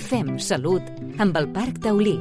Fem Salut amb el Parc Taulí.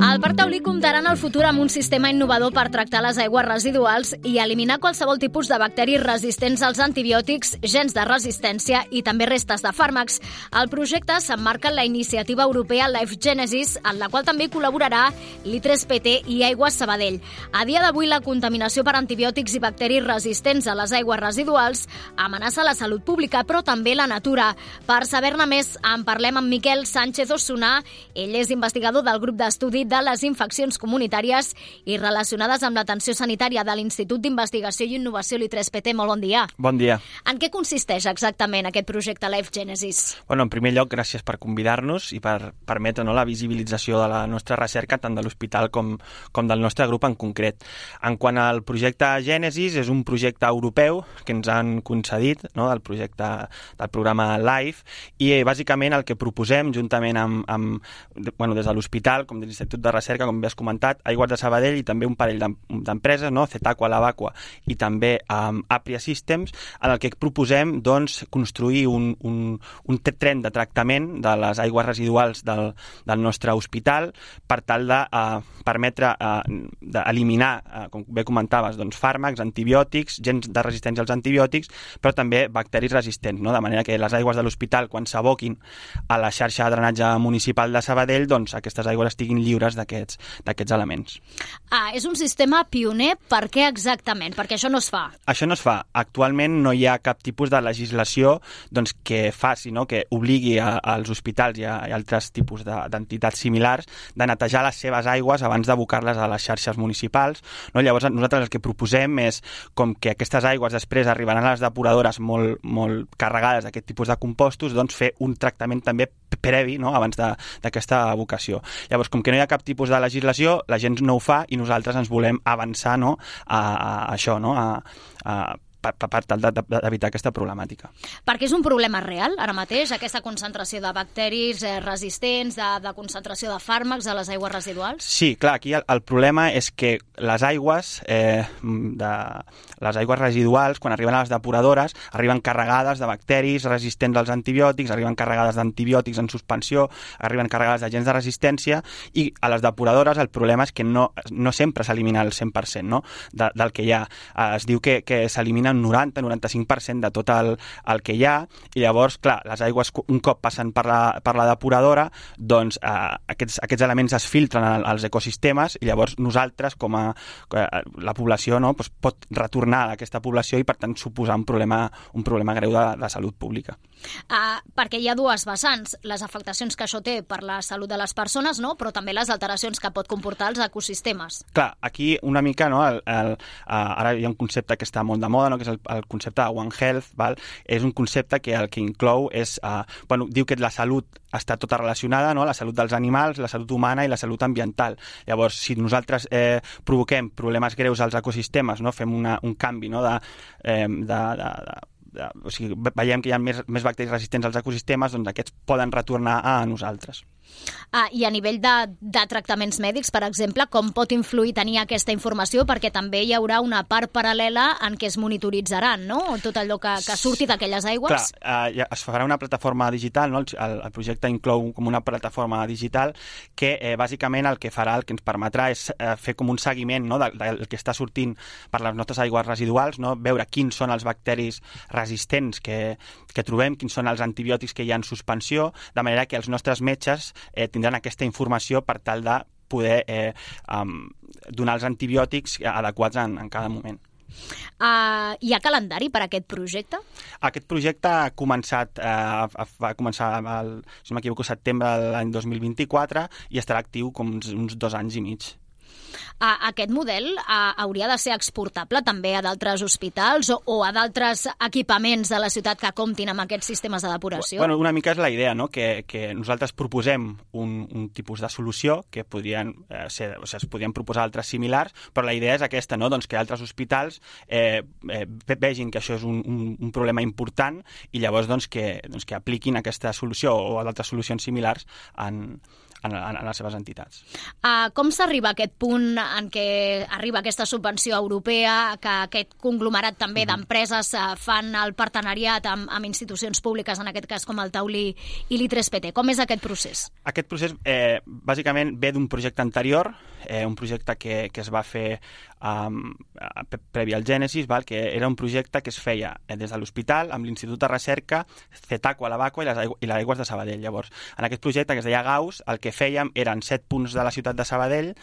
El Parc Taulí comptarà en el futur amb un sistema innovador per tractar les aigües residuals i eliminar qualsevol tipus de bacteris resistents als antibiòtics, gens de resistència i també restes de fàrmacs. El projecte s'emmarca en la iniciativa europea Life Genesis, en la qual també col·laborarà l'I3PT i Aigües Sabadell. A dia d'avui, la contaminació per antibiòtics i bacteris resistents a les aigües residuals amenaça la salut pública, però també la natura. Per saber-ne més, en parlem amb Miquel Sánchez Osuna. Ell és investigador del grup d'estudi de les infeccions comunitàries i relacionades amb l'atenció sanitària de l'Institut d'Investigació i Innovació l'I3PT. Molt bon dia. Bon dia. En què consisteix exactament aquest projecte Life Genesis? Bueno, en primer lloc, gràcies per convidar-nos i per permetre la visibilització de la nostra recerca, tant de l'hospital com del nostre grup en concret. En quant al projecte Genesis, és un projecte europeu que ens han concedit, del projecte del programa Life, i bàsicament el que proposem, juntament des de l'hospital, com de l'Institut de Recerca, com bé has comentat, Aigües de Sabadell i també un parell d'empreses, Cetaqua, Lavaqua i també Apria Systems, en el que proposem construir un tren de tractament de les aigües residuals del nostre hospital per tal de permetre d'eliminar, com bé comentaves, fàrmacs, antibiòtics, gens de resistència als antibiòtics, però també bacteris resistents, de manera que les aigües de l'hospital, quan s'aboquin a la xarxa de drenatge municipal de Sabadell, aquestes aigües estiguin lliures d'aquests elements. És un sistema pioner. Per què exactament? Perquè això no es fa. Això no es fa. Actualment no hi ha cap tipus de legislació que faci, que obligui als hospitals i a altres tipus d'entitats similars de netejar les seves aigües abans d'abocar-les a les xarxes municipals. Llavors nosaltres el que proposem és, com que aquestes aigües després arribaran a les depuradores molt carregades d'aquest tipus de compostos, fer un tractament també previ abans d'aquesta abocació. Llavors, com que no hi ha cap tipus de legislació, la gent no ho fa i nosaltres ens volem avançar a això, per tal d'evitar aquesta problemàtica. Perquè és un problema real, ara mateix, aquesta concentració de bacteris resistents, de concentració de fàrmacs a les aigües residuals? Sí, clar, aquí el problema és que les aigües residuals, quan arriben a les depuradores, arriben carregades de bacteris resistents als antibiòtics, arriben carregades d'antibiòtics en suspensió, arriben carregades d'agents de resistència, i a les depuradores el problema és que no sempre s'elimina el 100% del que hi ha. Es diu que s'elimina un 90-95% de tot el que hi ha, i llavors, clar, les aigües un cop passen per la depuradora, aquests elements es filtren als ecosistemes i llavors nosaltres, com a la població, pot retornar a aquesta població i, per tant, suposar un problema greu de salut pública. Perquè hi ha dues vessants, les afectacions que això té per la salut de les persones, però també les alteracions que pot comportar els ecosistemes. Clar, aquí una mica, ara hi ha un concepte que està molt de moda, que és el concepte de One Health, és un concepte que el que inclou és, diu que la salut està tota relacionada, la salut dels animals, la salut humana i la salut ambiental. Llavors, si nosaltres provoquem problemes greus als ecosistemes, fem un canvi o sigui, veiem que hi ha més bacteris resistents als ecosistemes, aquests poden retornar a nosaltres. I a nivell de tractaments mèdics, per exemple, com pot influir tenir aquesta informació? Perquè també hi haurà una part paral·lela en què es monitoritzaran, tot allò que surti d'aquelles aigües. Clar, es farà una plataforma digital, el projecte inclou com una plataforma digital que bàsicament el que farà, el que ens permetrà és fer com un seguiment del que està sortint per les nostres aigües residuals, veure quins són els bacteris resistents que trobem, quins són els antibiòtics que hi ha en suspensió, de manera que els nostres metges tindran aquesta informació per tal de poder donar els antibiòtics adequats en cada moment. Hi ha calendari per a aquest projecte? Aquest projecte va començar, si no m'equivoco, setembre de l'any 2024 i estarà actiu com uns 2 anys i mig. Aquest model hauria de ser exportable també a d'altres hospitals o a d'altres equipaments de la ciutat que comptin amb aquests sistemes de depuració? Bueno, una mica és la idea, que nosaltres proposem un tipus de solució que podrien es podrien proposar altres similars, però la idea és aquesta, que altres hospitals vegin que això és un problema important i llavors que apliquin aquesta solució o d'altres solucions similars en les seves entitats. Com s'arriba a aquest punt moment en què arriba aquesta subvenció europea, que aquest conglomerat també d'empreses fan el partenariat amb institucions públiques, en aquest cas com el Taulí i l'I3PT. Com és aquest procés? Aquest procés bàsicament ve d'un projecte anterior, un projecte que es va fer previ al Gènesis, que era un projecte que es feia des de l'hospital amb l'Institut de Recerca Cetaqua, la Vacua i l'Aigües de Sabadell. Llavors, en aquest projecte que es deia Gauss, el que fèiem eren 7 punts de la ciutat de Sabadell,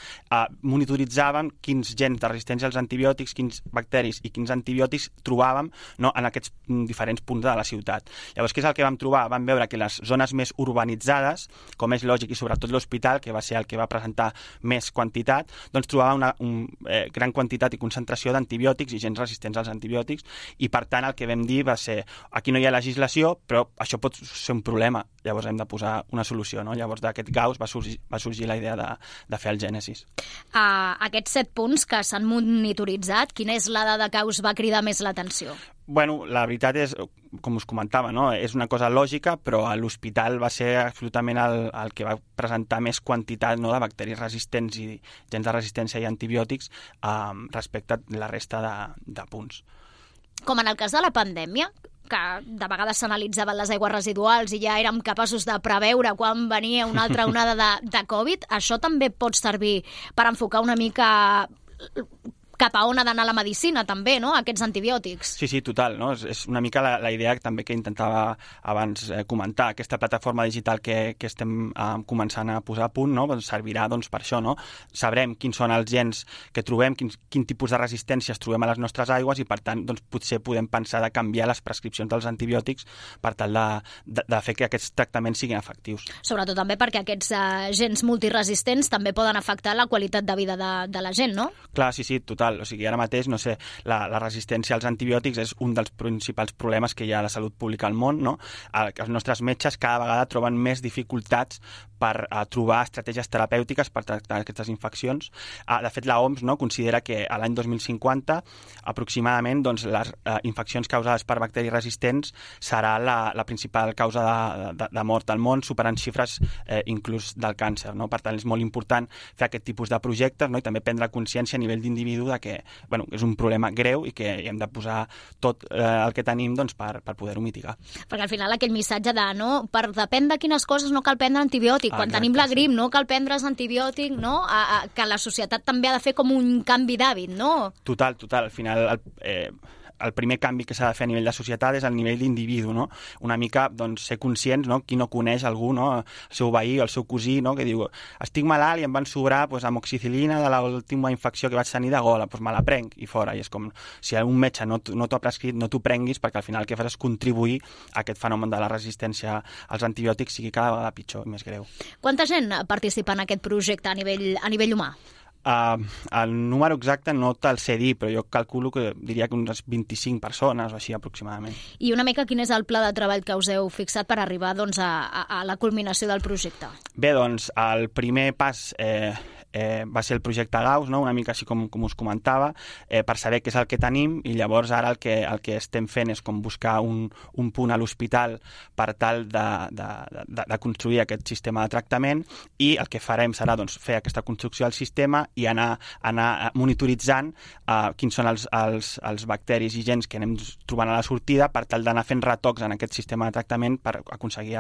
monitoritzàvem quins gens de resistència als antibiòtics, quins bacteris i quins antibiòtics trobàvem en aquests diferents punts de la ciutat. Llavors, què és el que vam trobar? Vam veure que les zones més urbanitzades, com és lògic, i sobretot l'hospital, que va ser el que va presentar més quantitat, doncs trobava una gran quantitat i concentració d'antibiòtics i gens resistents als antibiòtics, i per tant el que vam dir va ser, aquí no hi ha legislació, però això pot ser un problema, llavors hem de posar una solució, no? Llavors d'aquest Gauss va sorgir la idea de fer el Gènesis. Aquests 7 punts que s'han monitoritzat, quina és la dada que us va cridar més l'atenció? Bueno, la veritat és, com us comentava, no? És una cosa lògica, però a l'hospital va ser absolutament el que va presentar més quantitat, no, de bacteris resistents i gens de resistència i antibiòtics respecte a la resta de punts. Com en el cas de la pandèmia, que de vegades s'analitzaven les aigües residuals i ja érem capaços de preveure quan venia una altra onada de Covid, això també pot servir per enfocar una mica cap a on ha d'anar la medicina, també, no?, aquests antibiòtics. Sí, total, no? És una mica la idea també que intentava abans comentar. Aquesta plataforma digital que estem començant a posar a punt, no?, servirà per això, no? Sabrem quins són els gens que trobem, quin tipus de resistències trobem a les nostres aigües i, per tant, potser podem pensar de canviar les prescripcions dels antibiòtics per tal de fer que aquests tractaments siguin efectius. Sobretot també perquè aquests gens multiresistents també poden afectar la qualitat de vida de la gent, no? Clar, sí, total. O sigui, ara mateix, no sé, la resistència als antibiòtics és un dels principals problemes que hi ha a la salut pública al món, no? Els nostres metges cada vegada troben més dificultats per trobar estratègies terapèutiques per tractar aquestes infeccions. De fet, l'OMS, no, considera que a l'any 2050 aproximadament les infeccions causades per bacteris resistents serà la principal causa de mort al món, superant xifres inclús del càncer, no? Per tant, és molt important fer aquest tipus de projectes, no? I també prendre consciència a nivell d'individu que és un problema greu i que hem de posar tot el que tenim per poder-ho mitigar. Perquè al final aquell missatge de per depèn de quines coses no cal prendre antibiòtic. Quan tenim la grip no cal prendre's antibiòtic, no? Que la societat també ha de fer com un canvi d'hàbit, no? Total. Al final el primer canvi que s'ha de fer a nivell de societat és al nivell d'individu, no? Una mica ser conscients, no? Qui no coneix algú, no? El seu veí o el seu cosí, no? Que diu, estic malalt i em van sobrar amoxicil·lina de l'última infecció que vaig tenir de gola, me la prenc i fora. I és com, si un metge no t'ho ha prescrit, no t'ho prenguis, perquè al final el que fas és contribuir a aquest fenomen de la resistència als antibiòtics sigui cada vegada pitjor i més greu. Quanta gent participa en aquest projecte a nivell humà? El número exacte no te'l sé dir, però jo calculo que diria que unes 25 persones o així aproximadament. I una mica quin és el pla de treball que us heu fixat per arribar a la culminació del projecte? Bé, el primer pas va ser el projecte Gauss, no? Una mica així com us comentava, per saber què és el que tenim, i llavors ara el que estem fent és com buscar un punt a l'hospital per tal de construir aquest sistema de tractament, i el que farem serà fer aquesta construcció del sistema i anar monitoritzant quins són els bacteris i gens que anem trobant a la sortida per tal d'anar fent retocs en aquest sistema de tractament per aconseguir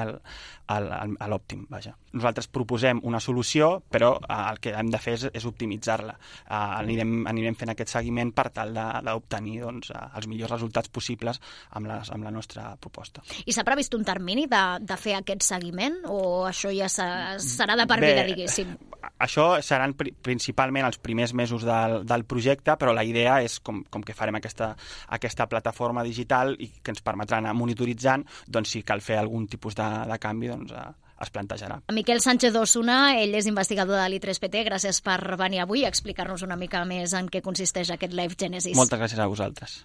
l'òptim. Nosaltres proposem una solució, però el que hem de fer és optimitzar-la. Anirem fent aquest seguiment per tal d'obtenir els millors resultats possibles amb la nostra proposta. I s'ha previst un termini de fer aquest seguiment o això ja serà de per vida, diguéssim? Això seran principalment els primers mesos del projecte, però la idea és, com que farem aquesta plataforma digital i que ens permetrà anar monitoritzant, si cal fer algun tipus de canvi, es plantejarà. Miquel Sánchez Osuna, ell és investigador de l'I3PT. Gràcies per venir avui a explicar-nos una mica més en què consisteix aquest Life Genesis. Moltes gràcies a vosaltres.